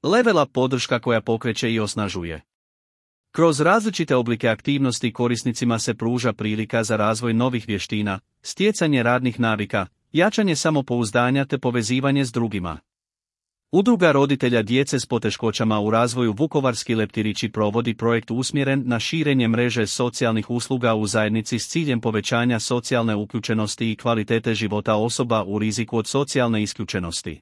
Level Up podrška koja pokreće i osnažuje. Kroz različite oblike aktivnosti korisnicima se pruža prilika za razvoj novih vještina, stjecanje radnih navika, jačanje samopouzdanja te povezivanje s drugima. Udruga roditelja djece s poteškoćama u razvoju Vukovarski leptirići provodi projekt usmjeren na širenje mreže socijalnih usluga u zajednici s ciljem povećanja socijalne uključenosti i kvalitete života osoba u riziku od socijalne isključenosti.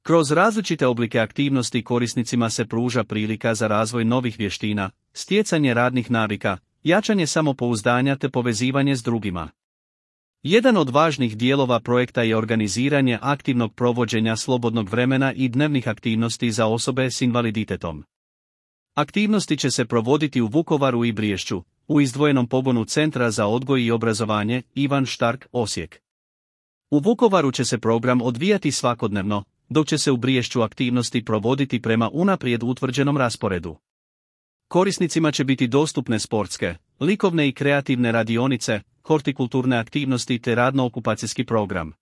Kroz različite oblike aktivnosti korisnicima se pruža prilika za razvoj novih vještina, stjecanje radnih navika, jačanje samopouzdanja te povezivanje s drugima. Jedan od važnih dijelova projekta je organiziranje aktivnog provođenja slobodnog vremena i dnevnih aktivnosti za osobe s invaliditetom. Aktivnosti će se provoditi u Vukovaru i Briješću, u izdvojenom pogonu Centra za odgoj i obrazovanje Ivan Štark, Osijek. U Vukovaru će se program odvijati svakodnevno, dok će se u Briješću aktivnosti provoditi prema unaprijed utvrđenom rasporedu. Korisnicima će biti dostupne sportske, likovne i kreativne radionice, hortikulturne aktivnosti te radno-okupacijski program.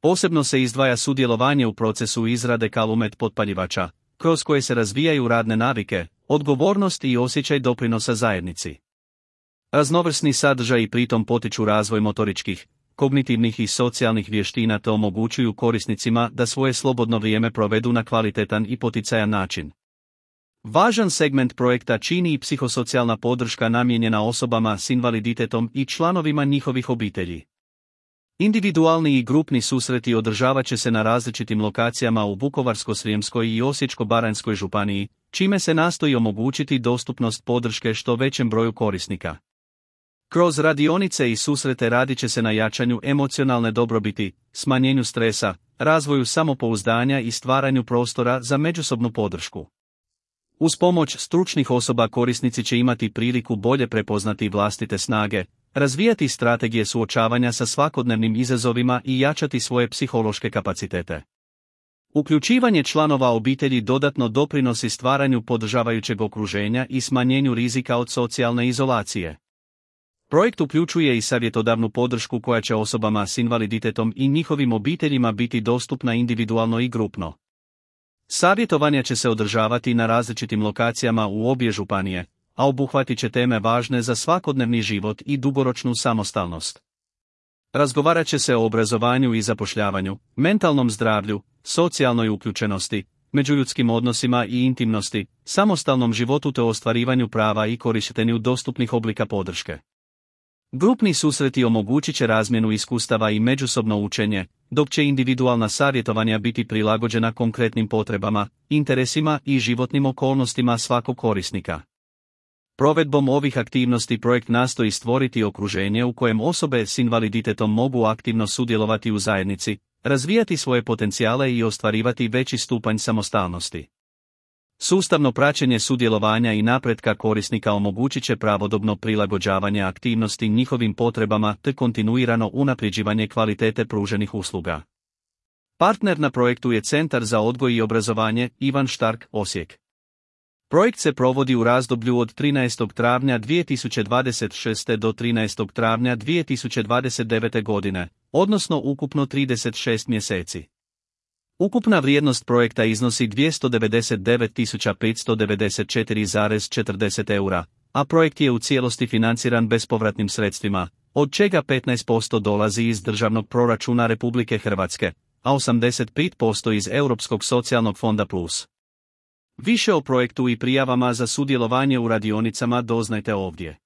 Posebno se izdvaja sudjelovanje u procesu izrade kalumet potpaljivača, kroz koje se razvijaju radne navike, odgovornost i osjećaj doprinosa zajednici. Raznovrsni sadržaji pritom potiču razvoj motoričkih, kognitivnih i socijalnih vještina te omogućuju korisnicima da svoje slobodno vrijeme provedu na kvalitetan i poticajan način. Važan segment projekta čini i psihosocijalna podrška namijenjena osobama s invaliditetom i članovima njihovih obitelji. Individualni i grupni susreti održavat će se na različitim lokacijama u Vukovarsko-srijemskoj i Osječko-baranjskoj županiji, čime se nastoji omogućiti dostupnost podrške što većem broju korisnika. Kroz radionice i susrete radit će se na jačanju emocionalne dobrobiti, smanjenju stresa, razvoju samopouzdanja i stvaranju prostora za međusobnu podršku. Uz pomoć stručnih osoba korisnici će imati priliku bolje prepoznati vlastite snage, razvijati strategije suočavanja sa svakodnevnim izazovima i jačati svoje psihološke kapacitete. Uključivanje članova obitelji dodatno doprinosi stvaranju podržavajućeg okruženja i smanjenju rizika od socijalne izolacije. Projekt uključuje i savjetodavnu podršku koja će osobama s invaliditetom i njihovim obiteljima biti dostupna individualno i grupno. Savjetovanja će se održavati na različitim lokacijama u obje županije, a obuhvatit će teme važne za svakodnevni život i dugoročnu samostalnost. Razgovarat će se o obrazovanju i zapošljavanju, mentalnom zdravlju, socijalnoj uključenosti, međuljudskim odnosima i intimnosti, samostalnom životu te ostvarivanju prava i korištenju dostupnih oblika podrške. Grupni susreti omogućit će razmjenu iskustava i međusobno učenje, dok će individualna savjetovanja biti prilagođena konkretnim potrebama, interesima i životnim okolnostima svakog korisnika. Provedbom ovih aktivnosti projekt nastoji stvoriti okruženje u kojem osobe s invaliditetom mogu aktivno sudjelovati u zajednici, razvijati svoje potencijale i ostvarivati veći stupanj samostalnosti. Sustavno praćenje sudjelovanja i napretka korisnika omogućit će pravodobno prilagođavanje aktivnosti njihovim potrebama te kontinuirano unapređivanje kvalitete pruženih usluga. Partner na projektu je Centar za odgoj i obrazovanje Ivan Štark, Osijek. Projekt se provodi u razdoblju od 13. travnja 2026. do 13. travnja 2029. godine, odnosno ukupno 36 mjeseci. Ukupna vrijednost projekta iznosi 299.594,40 eura, a projekt je u cijelosti financiran bespovratnim sredstvima, od čega 15% dolazi iz državnog proračuna Republike Hrvatske, a 85% iz Europskog socijalnog fonda plus. Više o projektu i prijavama za sudjelovanje u radionicama doznajte ovdje.